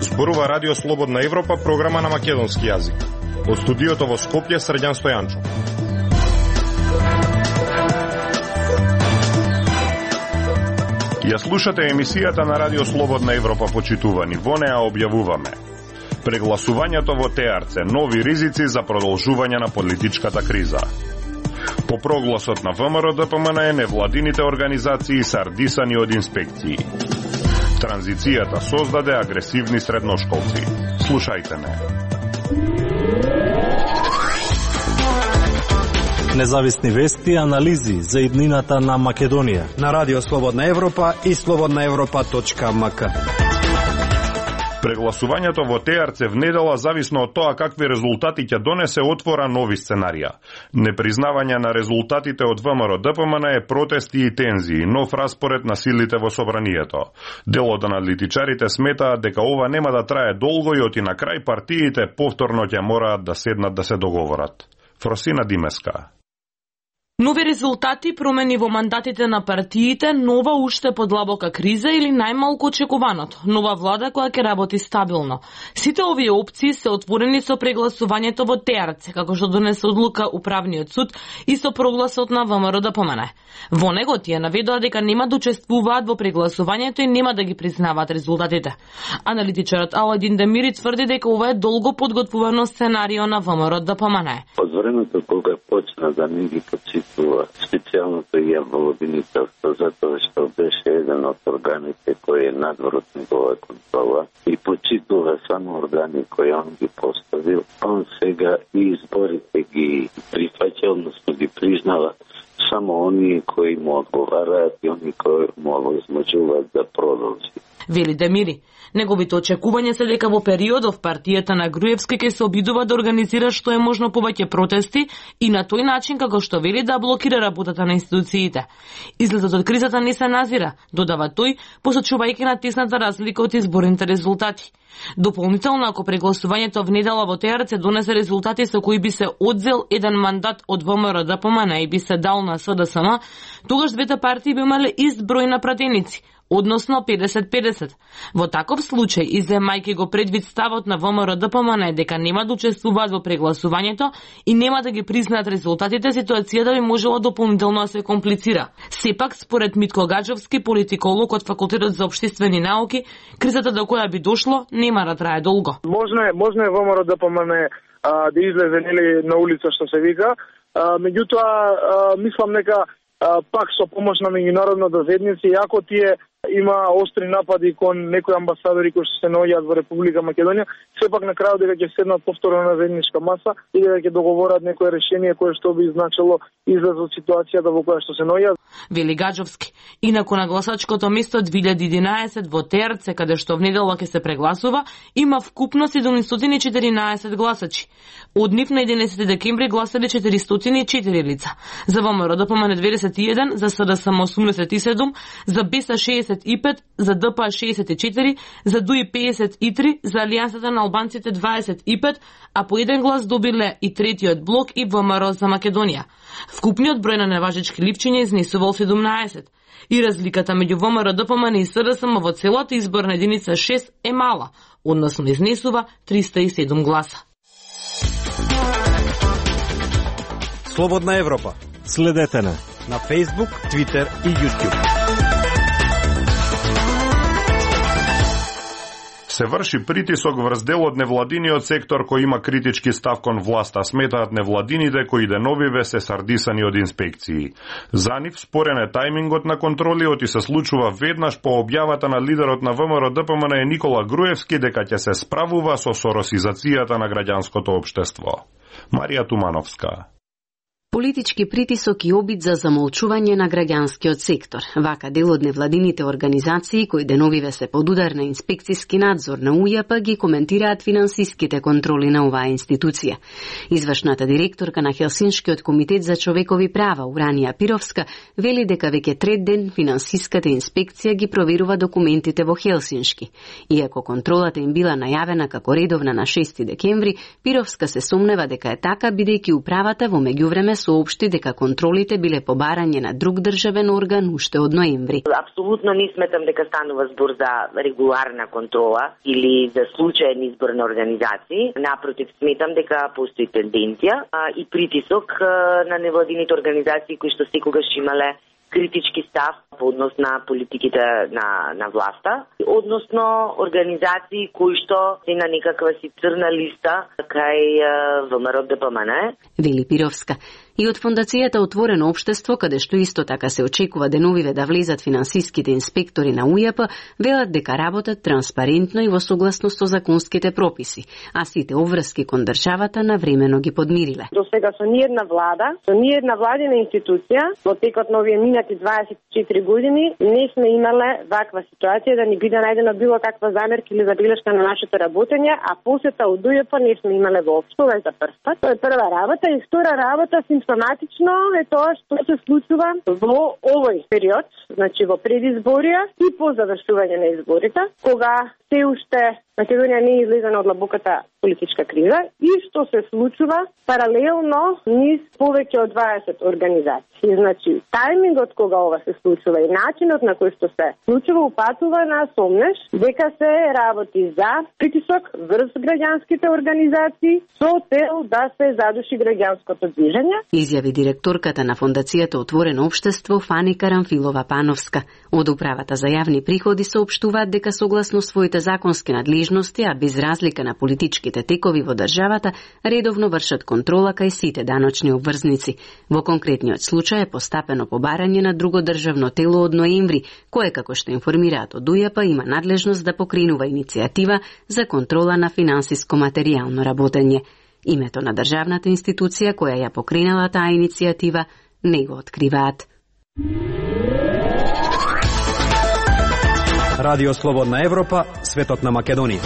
Зборува Радио Слободна Европа, програма на македонски јазик. Од студиото во Скопје, Средјан Стојанчо. Ја слушате емисијата на Радио Слободна Европа, почитувани. Во неа објавуваме прегласувањето во ТРЦ, нови ризици за продолжување на политичката криза. По прогласот на ВМРО-ДПМН, невладините организации се ардисани од инспекции. Транзицијата создаде агресивни средношколци. Слушајте ме. Независни вести и анализи за иднината на Македонија на Радио Слободна Европа и slobodnaevropa.mk. Прегласувањето во ТРЦ внедела, зависно од тоа какви резултати ќе донесе, отвора нови сценарија. Непризнавање на резултатите од ВМРО-ДПМН е протести и тензии, нов распоред на силите во собранието. Дел од аналитичарите сметаат дека ова нема да трае долго и оти на крај партиите повторно ќе мораат да седнат да се договорат. Фросина Димеска. Нови резултати, промени во мандатите на партиите, нова уште подлабока криза или најмалку очекуваното, нова влада која ќе работи стабилно. Сите овие опции се отворени со прегласувањето во ТРЦ, како што донесе одлука Управниот суд и со прогласот на ВМРО-ДПМН. Во него тие наведоа дека нема да учествуваат во прегласувањето и нема да ги признаваат резултатите. Аналитичарот Аладин Демири тврди дека ова е долго подготвувано сценарио на ВМРО-ДПМН. Од времето кога почна да не ги специјалното јавно обвинителство, затоа што беше еден од органите кој е надвор од негова контрола и почитува само органи кои он ги поставил, он сега и изборите ги прифаќа, односно ги признава само оние кои му одговараат и оние кои му овозможуваат да продолжи. Вели Демири. Неговите очекувања се дека во периодов партијата на Груевски ќе се обидува да организира што е можно повеќе протести и на тој начин како што вели да блокира работата на институциите. Излезот од кризата не се назира, додава тој, посочувајќи на тесната разлика од изборните резултати. Дополнително, ако прегласувањето внедела во ТРЦ донесе резултати со кои би се одзел еден мандат од ВМРО-ДПМН и би се дал на СДСМ, тогаш двете партии би имале ист број на пратеници, односно 50-50. Во таков случај, иземајќи го предвид ставот на ВМРО-ДПМН дека нема да учествуваат во прегласувањето и нема да ги признаат резултатите, ситуацијата би можела дополнително да се комплицира. Сепак, според Митко Гаджовски, политиколог од Факултетот за општествени науки, кризата до која би дошло нема да трае долго. Можно е ВМРО-ДПМН да излезе на улица, што се вика, меѓутоа мислам дека пак со помош на меѓународната заедница, иако тие има остри напади кон некои амбасадори кои се наоѓаат во Република Македонија, сепак на крајот дека ќе седнат повторно на заедничка маса и дека ќе договорат некое решение кое што би значило излез од ситуацијата во која што се наоѓаат. Вели Гаджовски. Инаку на гласачкото место 2011 во ТРЦ, каде што внедела ќе се прегласува, има вкупно 714 гласачи. Од нив на 11 декември гласале 404 лица. За ВМРО-ДПМН 21, за СДСМ 87, за БЕСА 65, за ДПА 64, за ДУИ 53, за Алијансата на албанците 25, а по еден глас добиле и третиот блок и ВМРО за Македонија. Вкупниот број на неважечки липчиња изнесувал 17. И разликата меѓу ВМРО-ДПМН и СДСМ во целата изборна единица 6 е мала, односно изнесува 307 гласа. Слободна Европа. Следете на Facebook, Twitter и YouTube. Се врши притисок врз дел од невладиниот сектор кој има критички став кон власта, сметаат невладините кои деновиве се сардисани од инспекции. За нив спорен е тајмингот на контролиот и се случува веднаш по објавата на лидерот на ВМРО-ДПМН Никола Груевски дека ќе се справува со соросизацијата на граѓанското општество. Марија Тумановска. Политички притисок и обид за замолчување на граѓанскиот сектор. Вака дел од невладините организации кои деновиве се под удар на инспекциски надзор на УЈП ги коментираат финансиските контроли на оваа институција. Извршната директорка на Хелсиншкиот комитет за човекови права Уранија Пировска вели дека веќе трет ден финансиската инспекција ги проверува документите во Хелсиншки. Иако контролата им била најавена како редовна на 6 декември, Пировска се сомнева дека е така бидејќи управата во меѓувреме соопшти дека контролите биле по барање на друг државен орган уште од ноември. Апсолутно не сметам дека станува збор за регуларна контрола или за случаен избор на организации. Напротив, сметам дека постои тенденција и притисок на невладините организации кои што секогаш имале критички став по однос на политиките на власта, односно организации кои што се на некаква си црна листа кај ВМРО ДПМН. Вели Пировска. И од фондацијата Отворено општество, каде што исто така се очекува деновиве да влезат финансиските инспектори на УЈП, велат дека работат транспарентно и во согласност со законските прописи, а сите обврски кон државата навремено ги подмириле. До сега со ниедна влада, со ниедна владина институција, во текот на овие минати 24 години, не сме имале ваква ситуација да ни биде најдена било каква замерка или забелешка на нашето работење, а посета од УЈП не сме имале воопшто, ова е за прв пат. Тоа е прва работа и втора работа, симптоматично е тоа што се случува во овој период, значи во предизборија и по завршување на изборите, кога се уште Македонија не е излезена од длабоката политичка криза и што се случува паралелно низ повеќе од 20 организации. Значи, тајмингот кога ова се случува и начинот на кој што се случува упатува на сомнеш дека се работи за притисок врз граѓанските организации со цел да се задуши граѓанското движење. Изјави директорката на фондацијата Отворено општество Фани Карамфилова Пановска. Од управата за јавни приходи соопштуваат дека согласно своите законски надлежности, а без разлика на политичките текови во државата, редовно вршат контрола кај сите даночни обврзници. Во конкретниот случај е постапено побарање на друго државно тело од ноември, кое, како што информираат од УЈП, има надлежност да покренува иницијатива за контрола на финансиско-материјално работење. Името на државната институција која ја покренала таа иницијатива не го откриваат. Радио Слободна Европа, светот на Македонија.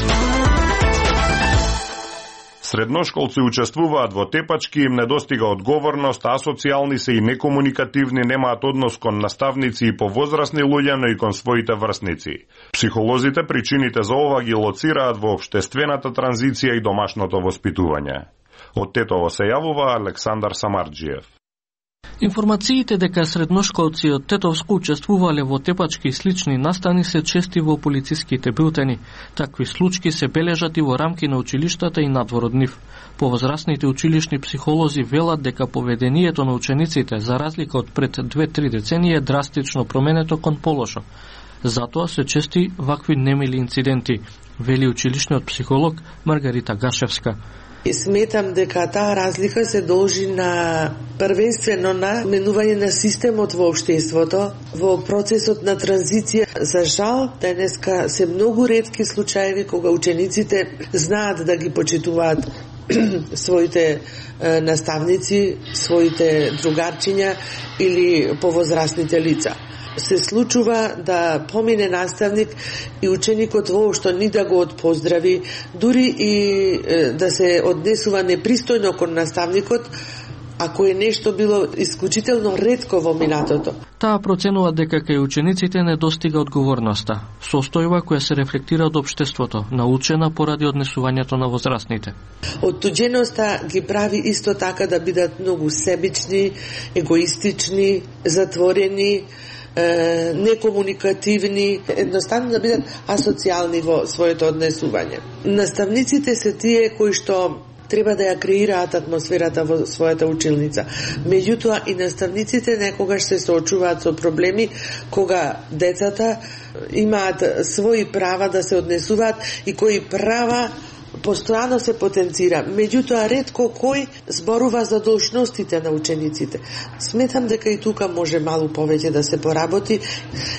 Средношколци учествуваат во тепачки, им недостига одговорност, асоцијални се и некомуникативни, немаат однос кон наставници и повозрасни луѓе, но и кон своите врсници. Психолозите причините за ова ги лоцираат во општествената транзиција и домашното воспитување. Од Тетово се јавува Александар Самарџиев. Информациите дека средношколци од Тетовско учествувале во тепачки и слични настани се чести во полициските билтени. Такви случаи се бележат и во рамки на училиштата и надвор од нив. Повозрасните училишни психолози велат дека поведението на учениците, за разлика од пред 2-3 децении, е драстично променето кон полошо. Затоа се чести вакви немили инциденти, вели училишниот психолог Маргарита Гашевска. И сметам дека таа разлика се должи на првенствено на менување на системот во општеството, во процесот на транзиција. За жал, денеска се многу ретки случаеви кога учениците знаат да ги почитуваат своите наставници, своите другарчиња или повозрасните лица. Се случува да помине наставник и ученикот воопшто ни да го отпоздрави, дури и да се однесува непристојно кон наставникот, ако е нешто било исклучително ретко во минатото. Таа проценува дека кај учениците недостига одговорноста, состојба која се рефлектира од општеството, научена поради однесувањето на возрастните. Оттуđеноста ги прави исто така да бидат многу себични, егоистични, затворени, некомуникативни, едноставно да бидат асоцијални во своето однесување. Наставниците се тие кои што треба да ја креираат атмосферата во својата училница. Меѓутоа и наставниците некогаш се соочуваат со проблеми кога децата имаат своји права да се однесуваат и кои права постојано се потенцира. Меѓутоа ретко кој зборува за должностите на учениците. Сметам дека и тука може малку повеќе да се поработи.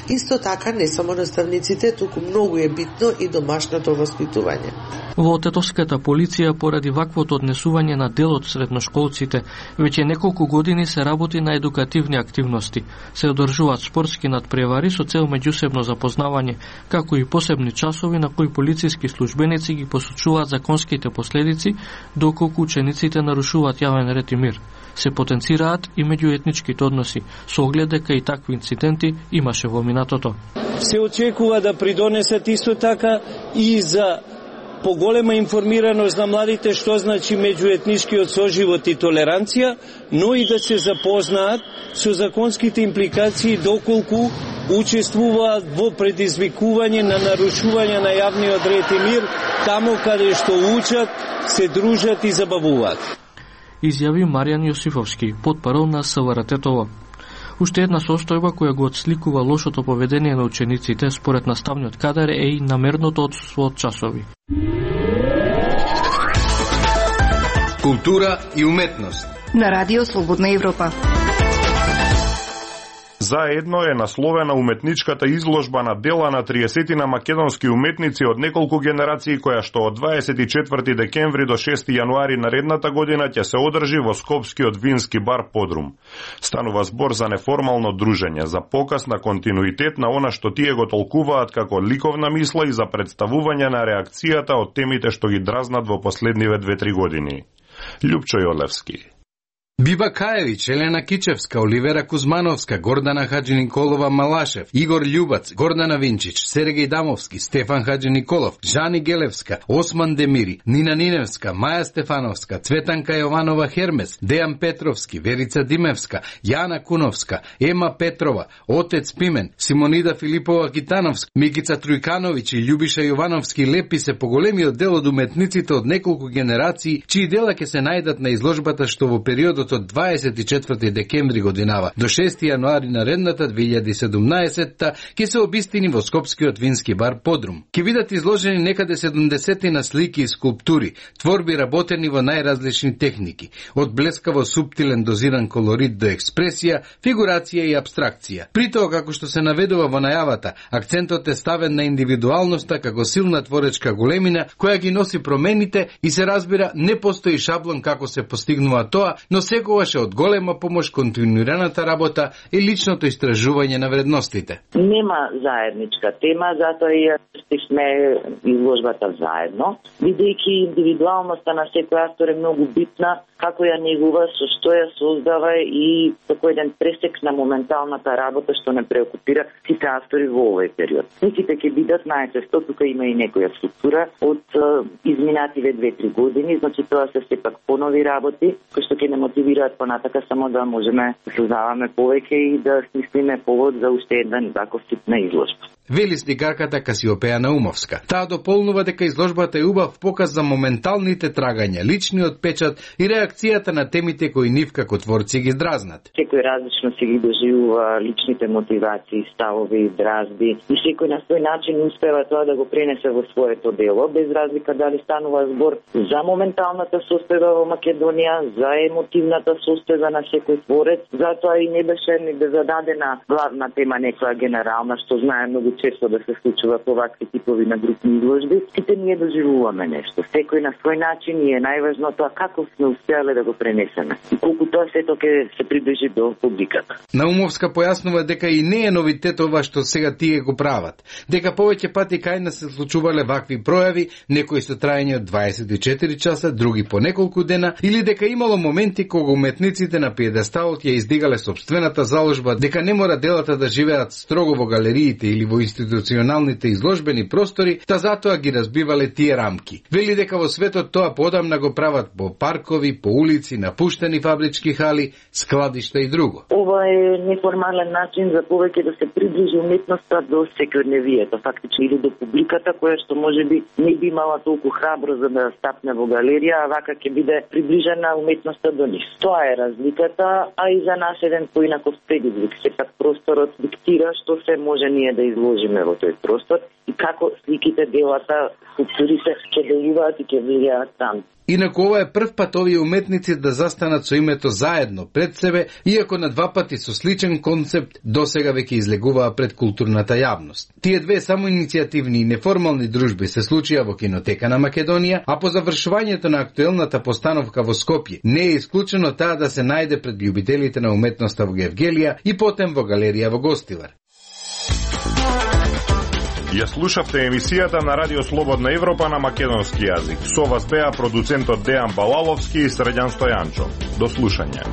Исто така не само наставниците, туку многу е битно и домашното воспитување. Во тетовската полиција поради ваквото однесување на дел од средношколците, веќе неколку години се работи на едукативни активности. Се одржуваат спортски надпревари со цел меѓусебно запознавање, како и посебни часови на кои полициски службеници ги посочуваат законските последици доколку учениците нарушуваат јавен ред и мир. Се потенцираат и меѓуетничките односи, со оглед дека и такви инциденти имаше во минатото. Се очекува да придонесат исто така и за поголема информираност на младите што значи меѓуетничкиот соживот и толеранција, но и да се запознаат со законските импликации доколку учествуваат во предизвикување на нарушување на јавниот ред и мир таму каде што учат, се дружат и забавуваат. Изјави Маријан Јосифовски, потпарол на СВРТ-това. Уште една состојба која го отсликува лошото поведение на учениците според наставниот кадар е и намерното отсутство од часови. Култура и уметност на Радио Слободна Европа. Заедно е насловена уметничката изложба на дела на 30 македонски уметници од неколку генерации која што од 24 декември до 6 јануари наредната година ќе се одржи во Скопскиот вински бар Подрум. Станува збор за неформално дружење, за показ на континуитет на она што тие го толкуваат како ликовна мисла и за представување на реакцијата од темите што ги дразнат во последниве 2-3 години. Љупчо Јолевски. Биба Каевич, Елена Кичевска, Оливера Кузмановска, Гордана Хаджи-Николова Малашев, Игор Љубац, Гордана Винчич, Сергеј Дамовски, Стефан Хаджи-Николов, Жани Гелевска, Осман Демири, Нина Ниневска, Маја Стефановска, Цветанка Јованова Хермес, Дејан Петровски, Верица Димевска, Јана Куновска, Ема Петрова, Отец Пимен, Симонида Филипова Китановска, Микица Трујкановиќ и Љубиша Јовановски лепи се поголемиот дел од уметниците од неколку генерации, чии дела ќе се најдат на изложбата што во периодот од 24 декември годинава до 6 јануари наредната 2017 ќе се обистини во Скопскиот вински бар Подрум. Ќе бидат изложени некаде 70 на слики и скулптури, творби работени во најразлични техники, од блескаво суптилен дозиран колорит до експресија, фигурација и абстракција. При тоа, како што се наведува во најавата, акцентот е ставен на индивидуалноста како силна творечка големина која ги носи промените и се разбира не постои шаблон како се постигнува тоа, но секогаш е од голема помош континуираната работа и личното истражување на вредностите. Нема заедничка тема, затоа и стишме изложбата заедно, бидејќи индивидуалноста на секој автор е многу битна, како ја негува, со што ја создава и како еден пресек на моменталната работа што не преокупира сите автори во овој период. Сите ќе бидат најчесто, тука има и некоја структура од изминативе 2-3 години, значи тоа се сепак понови работи, кои што ќе не мотивираат понатака само да можеме да создаваме повеќе и да смислиме повод за уште еден таков тип на изложба. Вели сликарката Касиопеја Наумовска. Таа дополнува дека изложбата е убав показ за моменталните трагања, личниот печат и реакцијата на темите кои нив како творци ги дразнат. Секој различно се ги доживува личните мотивации, ставови и дразби и секој на свој начин успева тоа да го пренесе во своето дело, без разлика дали станува збор за моменталната состојба во Македонија, за емотивната состојба на секој творец, затоа и не беше ни да зададена главна тема некоја генерална, што знае многу често да се случува по вакви типови на групни изложби. Сите ние доживуваме нешто. Секој на свој начин и е најважно тоа како сме успеале да го пренесеме и колку тоа сето ќе се приближи до публиката. Наумовска појаснува дека и не е новитет ова што сега тие го прават, дека повеќе пати кај нас се случувале вакви пројави, некои со траење од 24 часа, други по неколку дена, или дека имало моменти кога уметниците на пиедесталот ја издигале собствената заложба, дека не мора делата да живеат строго во галериите или во институционалните изложбени простори, та затоа ги разбивале тие рамки. Вели дека во светот тоа подамна го прават по паркови, по улици, напуштени фабрички хали, складишта и друго. Ова е неформален начин за повеќе да се приближи уметноста до секојдневието, фактично или до публиката која што можеби не би имала толку храбро за да стапне во галерија, а вака ќе биде приближена уметноста до нив. Тоа е разликата, а и за нас еден поинаков предизвик. Сепак просторот диктира што се може ние да изложиме во тој простор и како сликите, делата, скулптурите ќе делуваат и ќе влијаат там. Инаку ова е прв пат овие уметници да застанат со името заедно пред себе, иако на два пати со сличен концепт досега веќе излегуваа пред културната јавност. Тие две самоиницијативни и неформални дружби се случија во Кинотека на Македонија, а по завршувањето на актуелната постановка во Скопје не е исклучено таа да се најде пред љубителите на уметноста во Гевгелија и потем во галерија во Гостивар. Ја слушавте емисијата на Радио Слободна Европа на македонски јазик. Со вас беа продуцентот Дејан Балаловски и Средјан Стојанчо. До слушање.